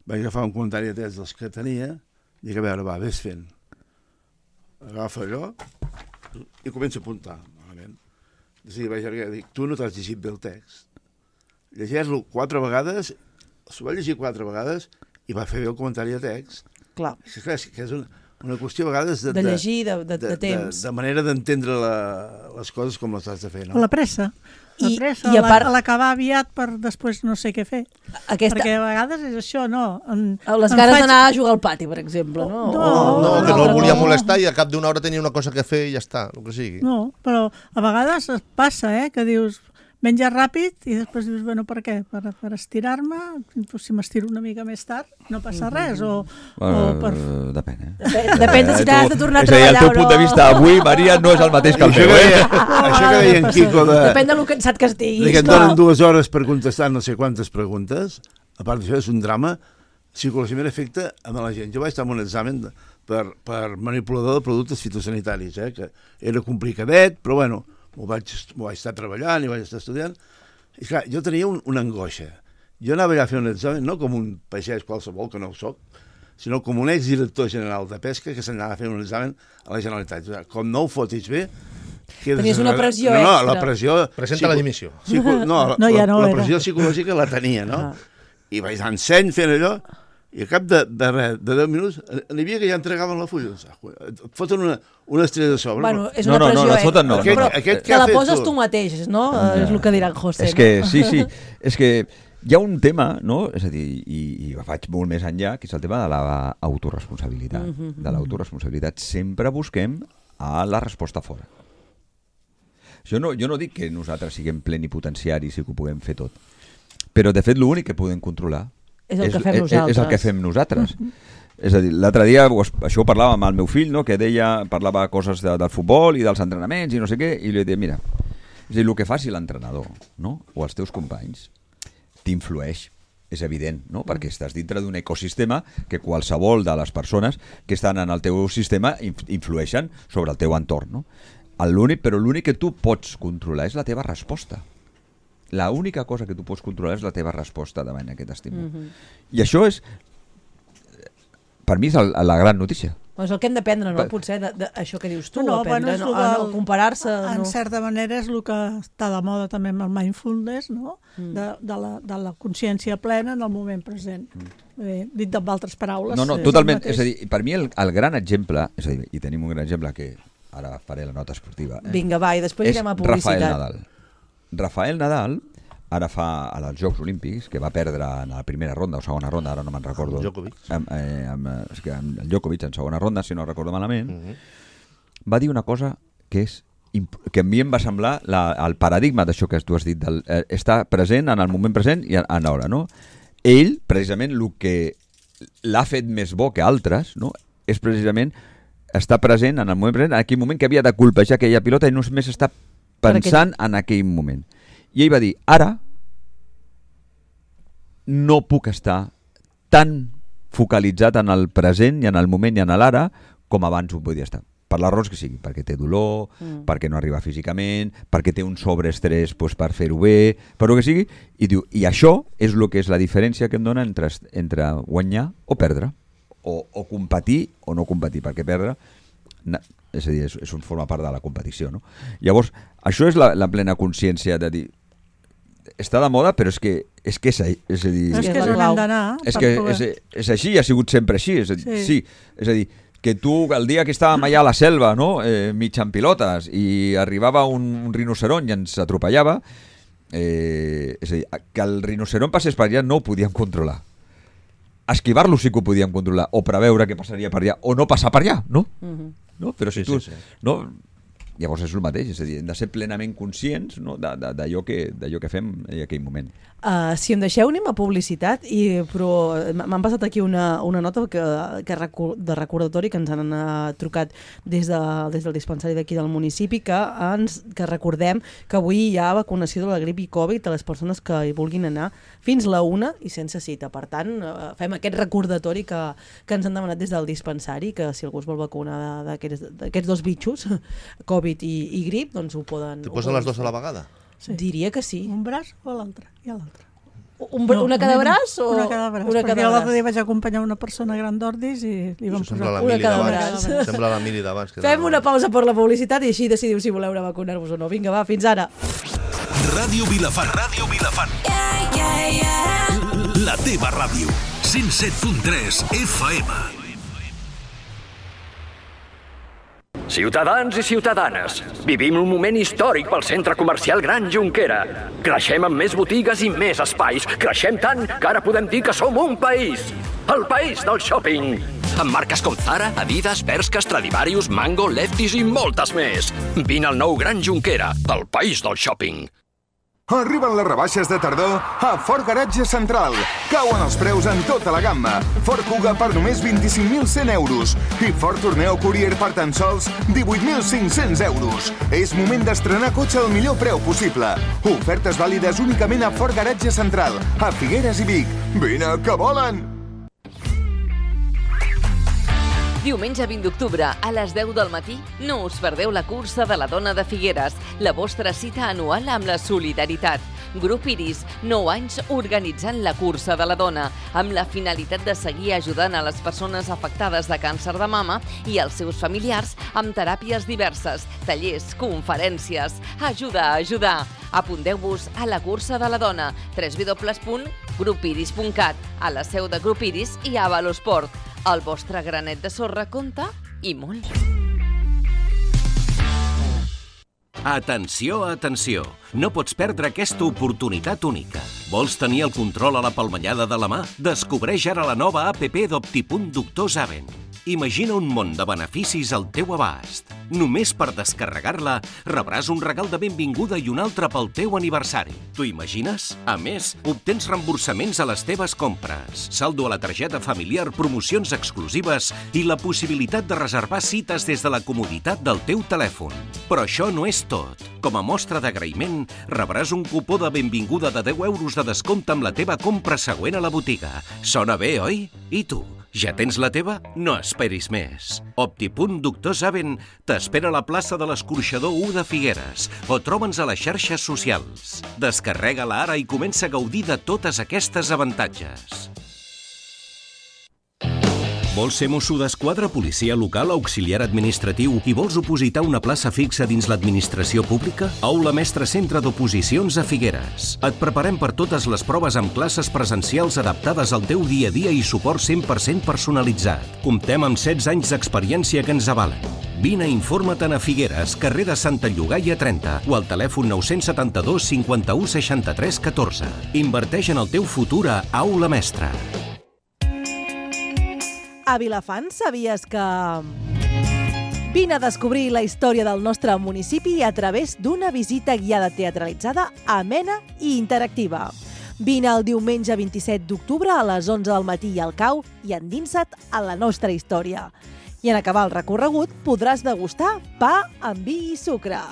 Vaig agafar un comentari de text dels que tenia i dic, a veure, va, vés fent. Agafa allò i comença a apuntar. Sí, vaig llargar, dic, tu no t'has llegit bé el text. Llegeix-lo 4 vegades, s'ho va llegir 4 vegades i va fer bé el comentari de text. Clar. És que és una qüestió a vegades de llegir, de temps. De manera d'entendre les coses com les has de fer, no? La pressa. I a part l'acabar aviat per després no sé què fer. Perquè a vegades és això, no? Les ganes d'anar a jugar al pati, per exemple, no? No, que no el volia molestar i a cap d'una hora tenia una cosa que fer i ja està, el que sigui. No, però a vegades passa, que dius, menja ràpid i després dius, bueno, per què? Per estirar-me? Si m'estiro una mica més tard, no passa res? Depèn, Depèn de si t'has de tornar a treballar o no. El teu punt de vista avui, Maria, no és el mateix que el meu. Això que deia en Quico depèn de lo cansat que estiguis. Que et donen 2 hores per contestar no sé quantes preguntes. A part d'això, és un drama psicològicament afecta a la gent. Jo vaig estar en un examen per manipulador de productes fitosanitaris, que era complicadet, però bueno, m'ho vaig estar treballant i vaig estar estudiant. I clar, jo tenia una angoixa. Jo anava allà a fer un examen, no com un pagès qualsevol, que no ho soc, sinó com un exdirector general de pesca que s'anava a fer un examen a la Generalitat. Com no ho fotis bé... Tenies una pressió extra. No, la pressió... Presenta la dimissió. La pressió psicològica la tenia, no? I vaig anar en seny fent allò, i a cap de 10 minuts n'hi havia que ja entregaven la fulla. Et foten una estrella de sobre. Bueno, és una pressió extra. No, però te la poses tu mateix, no? És el que dirà en José. És que, sí, és que hi ha un tema, no? És a dir, i vaig molt més enllà, que és el tema de l'autoresponsabilitat. De l'autoresponsabilitat. Sempre busquem a la resposta fora. Jo no dic que nosaltres siguem plenipotenciaris i que ho puguem fer tot. Però, de fet, l'únic que podem controlar és el que fem nosaltres. És el que fem nosaltres. És a dir, l'altre dia això ho parlava amb el meu fill, no? Que parlava coses del futbol i dels entrenaments i no sé què, i li deia, mira, és a dir, el que faci l'entrenador, no? O els teus companys t'influeix, és evident, no? Perquè estàs dintre d'un ecosistema que qualsevol de les persones que estan en el teu sistema influeixen sobre el teu entorn, no? Però l'únic que tu pots controlar és la teva resposta. L'única cosa que tu pots controlar és la teva resposta davant aquest estímul. I això és, per mi, és la gran notícia. És el que hem d'aprendre, no? Potser d'això que dius tu, aprendre, no comparar-se. En certa manera és el que està de moda també amb el mindfulness, no? De la consciència plena en el moment present. Dit amb altres paraules. No, totalment. És a dir, per mi el gran exemple, és a dir, i tenim un gran exemple que ara faré la nota esportiva. Vinga, va, i després irem a publicitat. Rafael Nadal ara fa als Jocs Olímpics, que va perdre en la primera ronda o segona ronda, ara no me'n recordo. Amb el Djokovic en segona ronda, si no recordo malament, va dir una cosa que a mi em va semblar el paradigma d'això que tu has dit, estar present en el moment present i en l'hora, no? Ell, precisament, el que l'ha fet més bo que altres, no? És precisament estar present en el moment present, en aquell moment que havia de colpejar aquella pilota i només està pensant en aquell moment. I ell va dir, ara no puc estar tan focalitzat en el present i en el moment i en l'ara com abans ho podia estar. Per les raons que sigui, perquè té dolor, perquè no arriba físicament, perquè té un sobreestrès per fer-ho bé, per el que sigui, i diu, i això és el que és la diferència que em dona entre guanyar o perdre, o competir o no competir, perquè perdre és a dir, forma part de la competició, no? Llavors, això és la plena consciència de dir, està de moda, però és que és a dir... És que és on hem d'anar. És així, ha sigut sempre així. És a dir, que tu, el dia que estàvem allà a la selva, no? Mig en pilotes, i arribava un rinoceront i ens atropellava, és a dir, que el rinoceront passés per allà no ho podíem controlar. Esquivar-lo sí que ho podíem controlar, o preveure què passaria per allà, o no passar per allà, no? No? Però si tu... No? Llavors és el mateix, és a dir, hem de ser plenament conscients, no? d'allò que fem en aquell moment. Si em deixeu, anem a publicitat, però m'han passat aquí una nota de recordatori que ens han trucat des del dispensari d'aquí del municipi, que recordem que avui hi ha vacunació de la grip i Covid a les persones que hi vulguin anar fins la 1 i sense cita. Per tant, fem aquest recordatori que ens han demanat des del dispensari, que si algú es vol vacunar d'aquests dos bitxos, Covid i grip, doncs ho poden... T'hi posen les dues a la vegada? Sí. Diria que sí. Un braç o l'altre? I l'altre. Una cada braç? Una cada braç. Perquè l'altre dia vaig acompanyar una persona gran d'Ordis i li vam posar una cada braç. Sembla la Mili d'abans. Fem una pausa per la publicitat i així decidiu si voleu vacunar-vos o no. Vinga, va, fins ara. Ràdio Vilafant. La teva ràdio. 107.3 FM. Ciutadans i ciutadanes, vivim un moment històric pel centre comercial Gran Jonquera. Creixem amb més botigues i més espais. Creixem tant que ara podem dir que som un país. El país del shopping. Amb marques com Zara, Adidas, Bershka, Stradivarius, Mango, Lefties i moltes més. Vine al nou Gran Jonquera, el país del shopping. Arriben les rebaixes de tardor a Ford Garatge Central. Cauen els preus en tota la gamma. Ford Kuga per només 25.100 euros. I Ford Tourneo Courier per tan sols 18.500 euros. És moment d'estrenar cotxe al millor preu possible. Ofertes vàlides únicament a Ford Garatge Central, a Figueres i Vic. Vine, que volen! Diumenge 20 d'octubre, a les 10 del matí, no us perdeu la cursa de la dona de Figueres, la vostra cita anual amb la solidaritat. Grup Iris, 9 anys organitzant la cursa de la dona, amb la finalitat de seguir ajudant a les persones afectades de càncer de mama i els seus familiars amb teràpies diverses, tallers, conferències. Ajuda a ajudar. Apunteu-vos a la cursa de la dona, www.grupiris.cat, a la seu de Grup Iris i a Valosport. El vostre granet de sorra compta i molt. Atenció, atenció! No pots perdre aquesta oportunitat única. Vols tenir el control a la palmellada de la mà? Descobreix ara la nova APP d'Optipunt Doctor Zaven. Imagina un món de beneficis al teu abast. Només per descarregar-la rebràs un regal de benvinguda i un altre pel teu aniversari. T'ho imagines? A més, obtens reemborsaments a les teves compres, saldo a la targeta familiar, promocions exclusives i la possibilitat de reservar cites des de la comoditat del teu telèfon. Però això no és tot. Com a mostra d'agraïment, rebràs un cupó de benvinguda de 10 euros de descompte amb la teva compra següent a la botiga. Sona bé, oi? I tu? Ja tens la teva? No esperis més. Optipunt Doctor Saben t'espera a la plaça de l'Escorxador 1 de Figueres o troba'ns a les xarxes socials. Descarrega-la ara i comença a gaudir de totes aquestes avantatges. Vols ser mosso d'esquadra, policia local, auxiliar administratiu i vols opositar una plaça fixa dins l'administració pública? Aula Mestre Centre d'Oposicions a Figueres. Et preparem per totes les proves amb classes presencials adaptades al teu dia a dia i suport 100% personalitzat. Comptem amb 16 anys d'experiència que ens avalen. Vine i informa-te'n a Figueres, carrer de Santa Llogaia 30 o al telèfon 972 51 63 14. Inverteix en el teu futur a Aula Mestre. A Vilafant sabies que... Vine a descobrir la història del nostre municipi a través d'una visita guiada teatralitzada, amena i interactiva. Vine el diumenge 27 d'octubre a les 11 del matí al CAU i endinsa't a la nostra història. I en acabar el recorregut podràs degustar pa amb vi i sucre.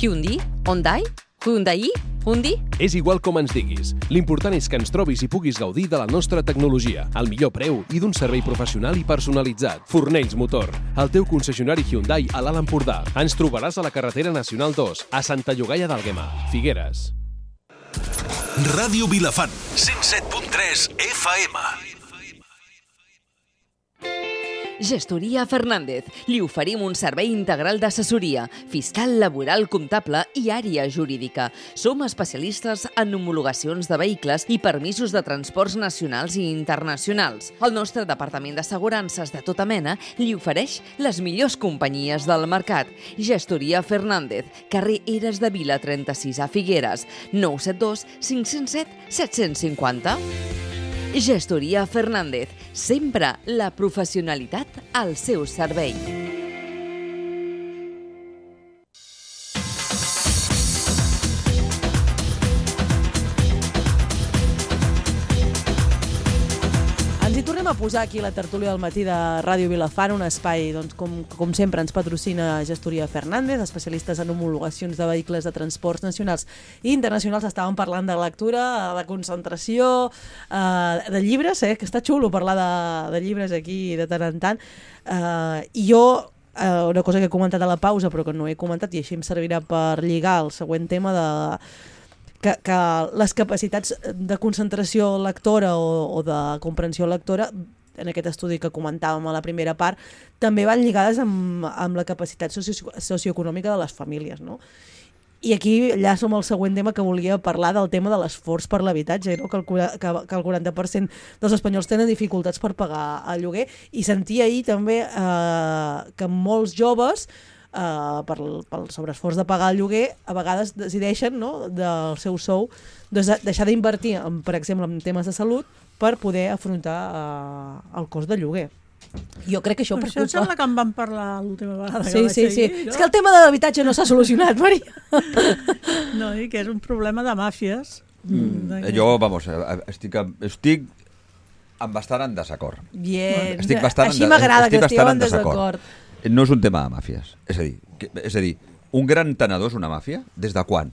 Hyundai? Hyundai? Hyundai? Hyundai? És igual com ens diguis. L'important és que ens trobis i puguis gaudir de la nostra tecnologia, al millor preu i d'un servei professional i personalitzat. Fornells Motor, el teu concessionari Hyundai a l'Alt Empordà. Ens trobaràs a la carretera Nacional 2, a Santa Llogaia d'Àlguema, Figueres. Ràdio Vilafant, 107.3 FM. Gestoria Fernández. Li oferim un servei integral d'assessoria, fiscal, laboral, comptable i àrea jurídica. Som especialistes en homologacions de vehicles i permisos de transports nacionals i internacionals. El nostre departament d'assegurances de tota mena li ofereix les millors companyies del mercat. Gestoria Fernández, carrer Eres de Vila 36 a Figueres, 972 507 750. Gestoria Fernández, sempre la professionalitat al seu servei. Ens hi tornem a posar aquí la tertúlia del matí de Ràdio Vilafant, un espai, doncs, com sempre, ens patrocina Gestoria Fernández, especialistes en homologacions de vehicles de transports nacionals i internacionals. Estàvem parlant de lectura, de concentració, de llibres, que està xulo parlar de llibres aquí de tant en tant. I jo, una cosa que he comentat a la pausa però que no he comentat i així em servirà per lligar el següent tema que les capacitats de concentració lectora o de comprensió lectora, en aquest estudi que comentàvem a la primera part, també van lligades amb la capacitat socioeconòmica de les famílies, no? I aquí ja som al següent tema que volia parlar, del tema de l'esforç per l'habitatge, no? que el 40% dels espanyols tenen dificultats per pagar el lloguer, i sentia ahir també que molts joves pel sobreesforç de pagar el lloguer a vegades decideixen, no, del seu sou deixar d'invertir, per exemple, en temes de salut per poder afrontar el cost del lloguer. Jo crec que això preocupa. Això sembla que en vam parlar l'última vegada. Sí. No? És que el tema de l'habitatge no s'ha solucionat, Maria. No, i que és un problema de màfies. Jo, vamos, estic amb bastant en desacord. Bien. Així m'agrada que estigueu en desacord. No és un tema de màfies. És a dir, un gran tenedor és una màfia? Des de quan?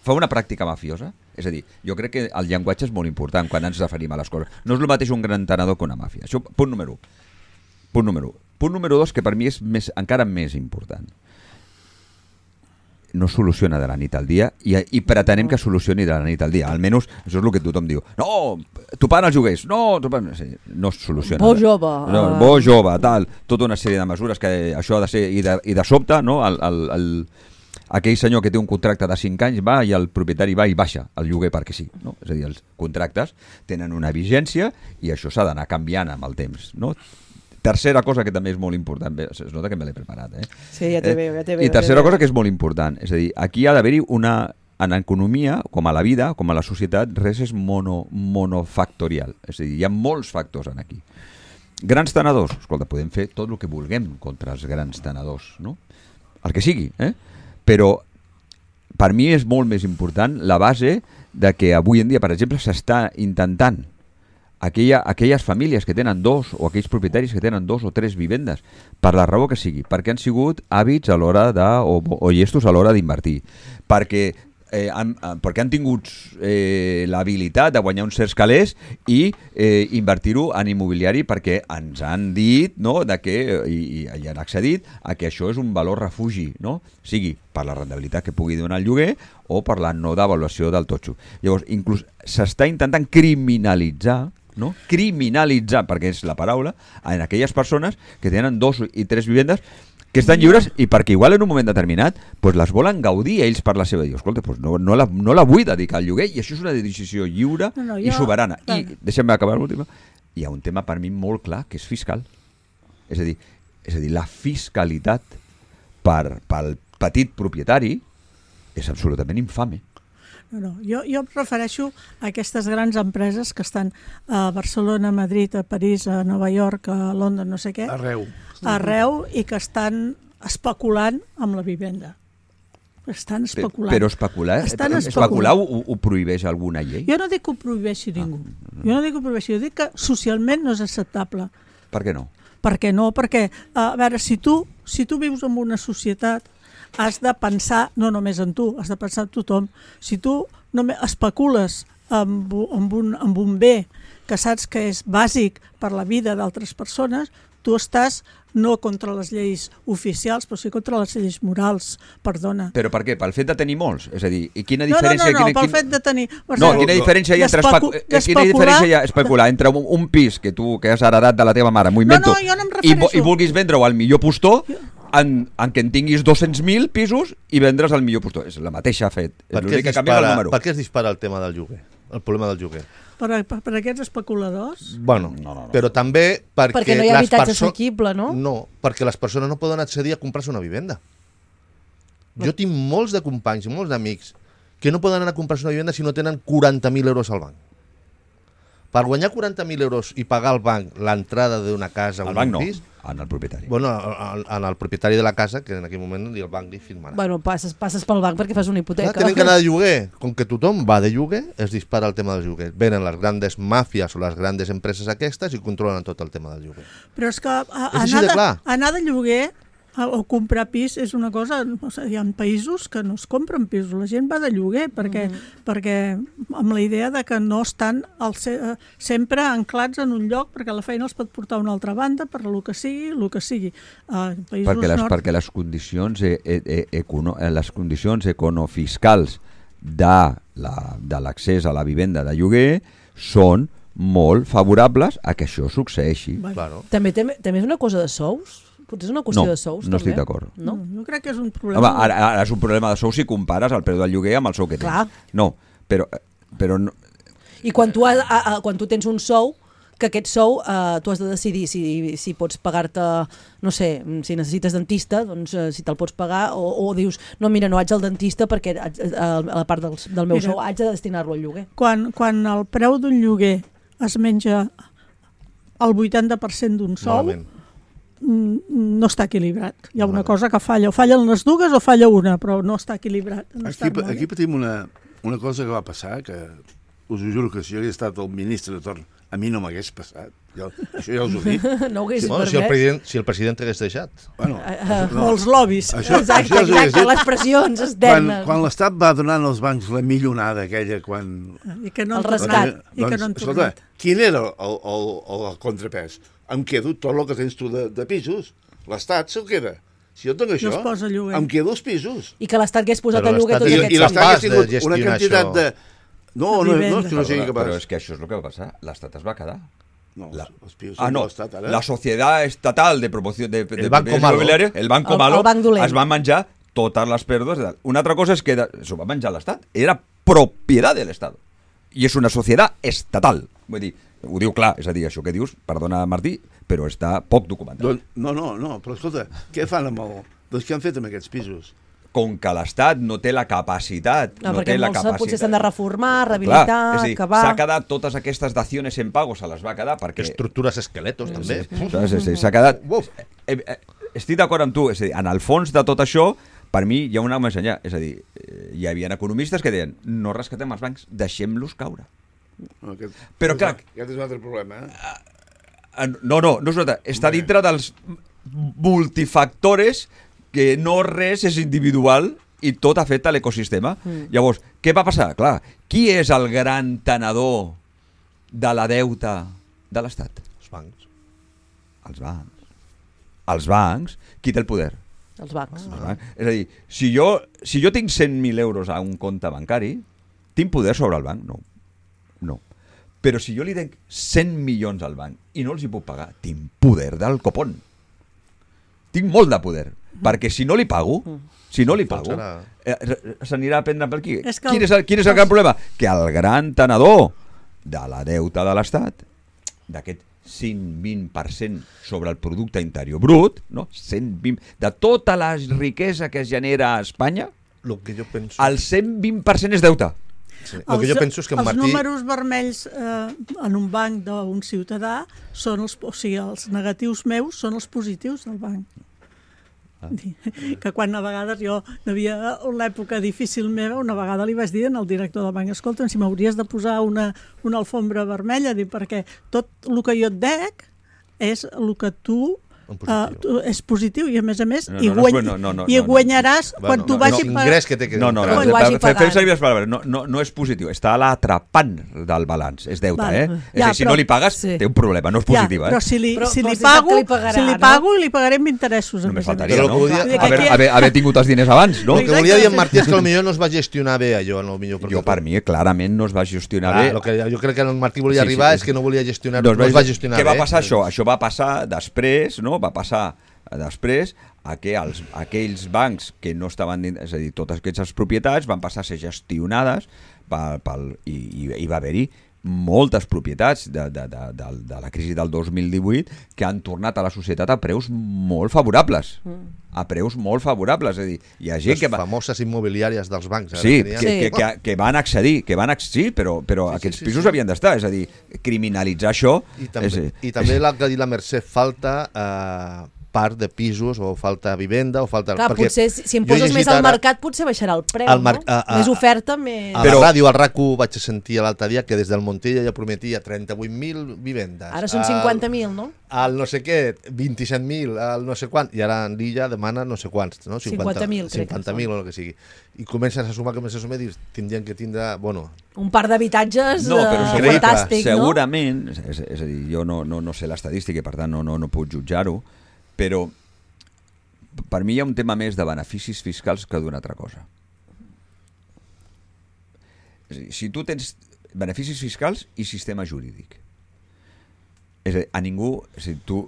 Fa una pràctica mafiosa? És a dir, jo crec que el llenguatge és molt important quan ens referim a les coses. No és el mateix un gran tenedor que una màfia. Això, punt número 1. Punt número 2, que per mi és encara més important. No soluciona de la nit al dia i pretenem que solucioni de la nit al dia. Almenys això és el que tothom diu. No, topant els lloguers. No es soluciona. Bo jove. Bo jove, tal. Tota una sèrie de mesures que això ha de ser... I de sobte, no, aquell senyor que té un contracte de 5 anys va i el propietari va i baixa el lloguer perquè sí. No? És a dir, els contractes tenen una vigència i això s'ha d'anar canviant amb el temps. No? Tercera cosa que també és molt important, es nota que me l'he preparat, Sí, ja te veo. I tercera cosa que és molt important, és a dir, aquí ha d'haver-hi en economia, com a la vida, com a la societat, res és monofactorial. És a dir, hi ha molts factors aquí. Grans tenedors, escolta, podem fer tot el que vulguem contra els grans tenedors, no? El que sigui, Però per mi és molt més important la base de que avui en dia, per exemple, s'està intentant aquelles famílies que tenen 2 o aquells propietaris que tenen 2 o 3 vivendes, per la raó que sigui, perquè han sigut hàbits a l'hora o llestos a l'hora d'invertir, perquè han tingut l'habilitat de guanyar uns certs calés i invertir-ho en immobiliari perquè ens han dit, no, i han accedit a que això és un valor refugi, no? Sigui per la rendibilitat que pugui donar el lloguer o per la no devaluació del totxo. Llavors, inclús s'està intentant criminalitzar, no? Criminalitzar, perquè és la paraula, en aquelles persones que tenen 2 i 3 vivendes que estan lliures i perquè igual en un moment determinat pues les volen gaudir ells per la seva... Escolta, pues no la vull dedicar al lloguer i això és una decisió lliure i soberana. I deixem-me acabar l'última. Hi ha un tema per mi molt clar que és fiscal. És a dir, la fiscalitat pel petit propietari és absolutament infame. No. Jo em refereixo a aquestes grans empreses que estan a Barcelona, a Madrid, a París, a Nova York, a Londres, no sé què. Arreu i que estan especulant amb la vivenda. Estan especulant. Però especular ho prohibeix alguna llei? Jo no dic que ho prohibeixi ningú. Jo dic que socialment no és acceptable. Per què no? Per què no? Perquè, a veure, si tu vius en una societat, has de pensar no només en tu, has de pensar en tothom. Si tu especules amb un bé que saps que és bàsic per la vida d'altres persones, tu estàs no contra les lleis oficials, però sí contra les lleis morals, perdona. Però per què? Pel fet de tenir molts? És a dir, i quina diferència... No, pel fet de tenir... Quina diferència hi ha entre especular entre un pis que tu que has heredat de la teva mare, m'ho invento, i vulguis vendre-ho al millor postor, en què en tinguis 200.000 pisos i vendre's al millor postor. És la mateixa fet. Per què es dispara el tema del lloguer? El problema del lloguer? Per aquests especuladors? Bueno, no. Però també perquè no hi ha habitatge assequible, no? No, perquè les persones no poden accedir a comprar-se una vivenda. Jo tinc molts de companys i molts d'amics que no poden anar a comprar-se una vivenda si no tenen 40.000 euros al banc. Per guanyar 40.000 euros i pagar al banc l'entrada d'una casa o un pis... en el propietari. Bueno, en el propietari de la casa, que en aquell moment el banc li firmarà. Bueno, passes pel banc perquè fas una hipoteca. Clar, tenen que anar de lloguer. Com que tothom va de lloguer, es dispara el tema del lloguer. Venen les grandes màfies o les grandes empreses aquestes i controlen tot el tema del lloguer. Però és que anar de lloguer o comprar pis és una cosa... Hi ha països que no es compren pisos, la gent va de lloguer perquè amb la idea de que no estan sempre anclats en un lloc perquè la feina els pot portar a una altra banda per el que sigui. Perquè les condicions econofiscals de l'accés a la vivenda de lloguer són molt favorables a que això succeeixi. Claro. També és una cosa de sous? Potser és una qüestió de sous, no estic d'acord. No, jo crec que és un problema... Home, ara és un problema de sous si compares el preu del lloguer amb el sou que tens. Clar. No, però no... I quan tu tens un sou, que aquest sou tu has de decidir si pots pagar-te, no sé, si necessites dentista, doncs si te'l pots pagar, o dius, no, mira, no vaig al dentista perquè a la part del meu sou haig de destinar-lo al lloguer. Quan el preu d'un lloguer es menja el 80% d'un sou, no està equilibrat. Hi ha una cosa que falla. O fallen les dues o falla una, però no està equilibrat. Aquí patim una cosa que va passar, que us ho juro que si jo hagués estat el ministre de torn, a mi no m'hagués passat. Això ja us ho dic. No ho hagués permès. Si el president t'hagués deixat. Molts lobbies. Exacte, les pressions externes. Quan l'Estat va donar als bancs la millonada aquella, I que no han tornat. Escolta, quin era el contrapès? Em quedo tot el que tens tu de pisos. L'Estat se'l queda. Si jo tinc això, em quedo els pisos. I que l'Estat hagués posat a lloguer tots aquests I l'Estat hagués tingut una quantitat de... No és que no sigui capaç. Però és que això és el que va passar. L'Estat es va quedar. No, els pisos són de l'Estat, ara. La Societat Estatal de Promoció de Banco Malo, el Banco Malo, es va menjar totes les pèrdues. Una altra cosa és que s'ho va menjar l'Estat. Era propietat de l'Estat. I és una societat estatal. Vull dir, ho diu clar, és a dir, això que dius, perdona Martí, però està poc documentat. No, però escolta, què fan amb doncs què han fet amb aquests pisos? com que l'Estat no té la capacitat... perquè molts potser s'han de reformar, rehabilitar, acabar... S'ha quedat totes aquestes daciones en pago, se les va quedar perquè... Estructures esqueletos, també. Sí, s'ha quedat... Estic d'acord amb tu, és a dir, en el fons de tot això, per mi hi ha una més enllà. És a dir, hi havia economistes que deien no rescatem els bancs, deixem-los caure. Però clar... Aquest és un altre problema, No és un altre. Està dintre dels multifactores que no res és individual i tot afecta l'ecosistema. Llavors, què va passar? Clar, qui és el gran tenedor de la deuta de l'Estat? Els bancs. Els bancs. Qui té el poder? Els bancs. És a dir, si jo tinc 100.000 euros a un compte bancari, tinc poder sobre el banc? No. Però si jo li denc 100 milions al banc i no els hi puc pagar, tinc poder del copón. Tinc molt de poder. Perquè si no li pago, s'anirà a prendre per aquí. Quin és el gran problema? Que el gran tenedor de la deuta de l'Estat, d'aquest 120% sobre el producte interior brut, no? 120, de tota la riquesa que es genera a Espanya, el 120% és deuta. Sí. El que jo penso és que els números vermells en un banc d'un ciutadà són els negatius meus són els positius del banc. Que quan a vegades jo devia una època difícil meva, una vegada li vaig dir al director del banc, escolta'm, si m'hauries de posar una alfombra vermella, perquè tot el que jo et dec és el que tu és positiu i a més i guanyaràs quan tu vagis fem servir les paraules, no és positiu, està a l'atrapant del balanç, és deute, és a dir, si no li pagues té un problema, no és positiva. Però si li pago i li pagaré amb interessos. Només faltaria, no? Haver tingut els diners abans, no? El que volia dir en Martí és que potser no es va gestionar bé allò. Jo per mi clarament no es va gestionar bé. Jo crec que el Martí volia arribar és que no volia gestionar, no es va gestionar bé. Què va passar això? Això va passar després, no? Va passar després que aquells bancs que no estaven dins, és a dir, totes aquestes propietats van passar a ser gestionades i va haver-hi moltes propietats de la crisi del 2018 que han tornat a la societat a preus molt favorables. És a dir, hi ha gent les famoses immobiliàries dels bancs. Sí, que van accedir, sí, però aquests pisos havien d'estar, és a dir, criminalitzar això... I també l'ha de dir la Mercè, falta part de pisos o falta vivenda o falta... Clar, potser si em poses més al mercat potser baixarà el preu, no? Més oferta, més... A la ràdio, al RAC1 vaig sentir l'altre dia que des del Montilla ja prometia 38.000 vivendes. Ara són 50.000, no? Al no sé què, 27.000, al no sé quant, i ara en l'illa demana no sé quants, no? 50.000, crec que 50.000 o el que sigui. I comences a sumar, i tindrien que tindre, bueno... Un parc d'habitatges fantàstic, no? Segurament, és a dir, jo no sé l'estadística i per tant no puc jutjar-ho, però per mi hi ha un tema més de beneficis fiscals que d'una altra cosa. És a dir, si tu tens beneficis fiscals i sistema jurídic, és a dir, a ningú, si tu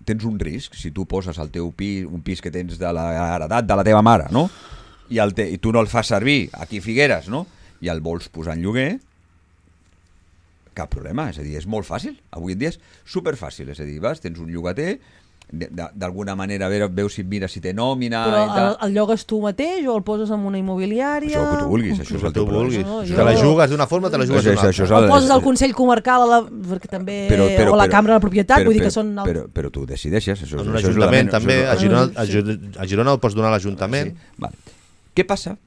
tens un risc, si tu poses al teu pis, un pis que tens de l'heredat de la teva mare, no? I tu no el fas servir aquí a Figueres, no? I el vols posar en lloguer, cap problema, és a dir, és molt fàcil. Avui en dia és superfàcil, és a dir, tens un llogater, d'alguna manera veus si mira si té nòmina... Però el llogues tu mateix o el poses en una immobiliària? Això que tu vulguis, això és el teu problema. Te la jugues d'una forma, te la jugues d'una altra. O poses al Consell Comarcal o la Cambra de la Propietat, vull dir que són... Però tu decideixes. En un ajuntament també, a Girona el pots donar a l'Ajuntament. Què passa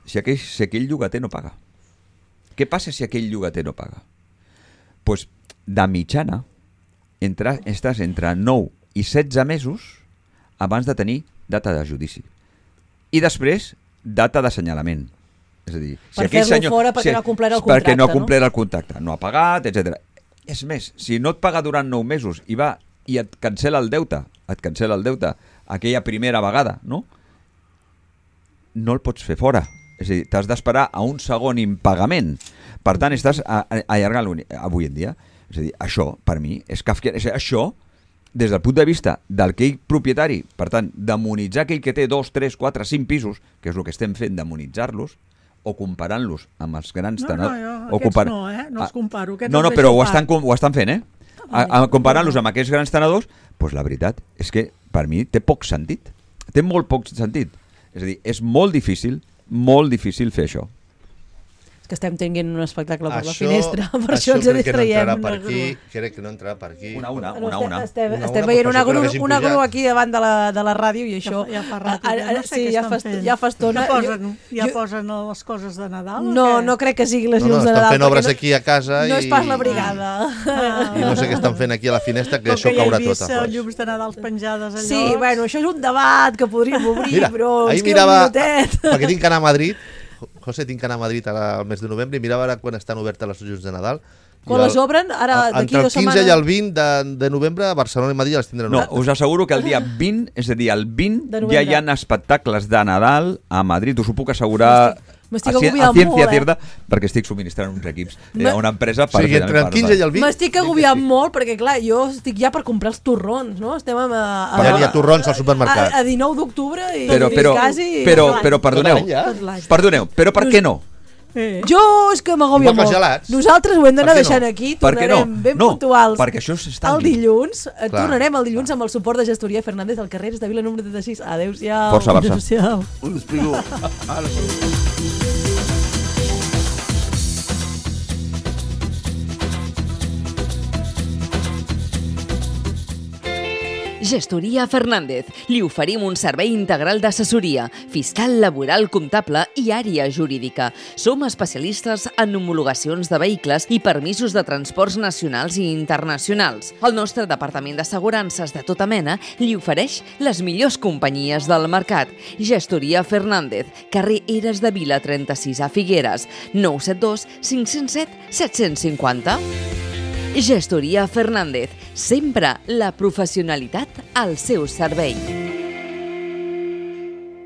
si aquell llogater no paga? Què passa si aquell llogater no paga? Doncs de mitjana estàs entre 9 i 16 mesos abans de tenir data de judici. I després, data d'assenyalament. És a dir, per fer-lo fora perquè no ha complert el contracte. Perquè no ha complert el contracte, no ha pagat, etc. És més, si no et paga durant 9 mesos i et cancela el deute, aquella primera vegada, no el pots fer fora. És a dir, t'has d'esperar a un segon impagament. Per tant, estàs allargant avui en dia. És a dir, això, per mi, és kafkià. Això, des del punt de vista d'aquell propietari, per tant, demonitzar aquell que té 2, 3, 4, 5 pisos, que és el que estem fent, demonitzar-los, o comparant-los amb els grans tenedors... No, aquests no els comparo. No, però ho estan fent, comparant-los amb aquests grans tenedors, doncs la veritat és que per mi té poc sentit. Té molt poc sentit. És a dir, és molt difícil fer això. És que estem tenint un espectacle per la finestra, per això ens distraiem. Crec que no entrarà per aquí. Una. Estem veient una grua aquí davant de la ràdio i això... Ja fa rato. Sí, ja fa estona. Ja posen les coses de Nadal? No crec que siguin les llums de Nadal. Estan fent obres aquí a casa i... No és pas la brigada. I no sé què estan fent aquí a la finestra, que això caurà tot a fons. Llums de Nadal penjades allò... Sí, bueno, això és un debat que podríem obrir, però ens queda un minutet. Perquè tinc que anar a Madrid, José, tinc que anar a Madrid al mes de novembre i mirava ara quan estan obertes les llums de Nadal. Quan les obren, ara d'aquí 2 setmanes... Entre el 15 i el 20 de novembre, a Barcelona i Madrid les tindran obertes. No, us asseguro que el dia 20, és a dir, el 20, ja hi ha espectacles de Nadal a Madrid, us ho puc assegurar a ciència cierta, perquè estic subministrant uns equips a una empresa per... O sigui, entre el 15 i el 20... M'estic agobiant molt, perquè clar, jo estic ja per comprar els torrons, no? Estem ja hi ha torrons al supermercat. A 19 d'octubre i quasi... Però perdoneu, però per què no? Jo és que m'agòbia molt. Nosaltres ho hem d'anar deixant aquí, tornarem ben puntuals el dilluns. Tornarem el dilluns amb el suport de Gestoria Fernández al carrer de Vila número 36. Adéu-siau. Força Barça. Un despigo. Gestoria Fernández. Li oferim un servei integral d'assessoria, fiscal, laboral, comptable i àrea jurídica. Som especialistes en homologacions de vehicles i permisos de transports nacionals i internacionals. El nostre departament d'assegurances de tota mena li ofereix les millors companyies del mercat. Gestoria Fernández, carrer Eres de Vila 36 a Figueres, 972 507 750. Gestoria Fernández, sempre la professionalitat al seu servei.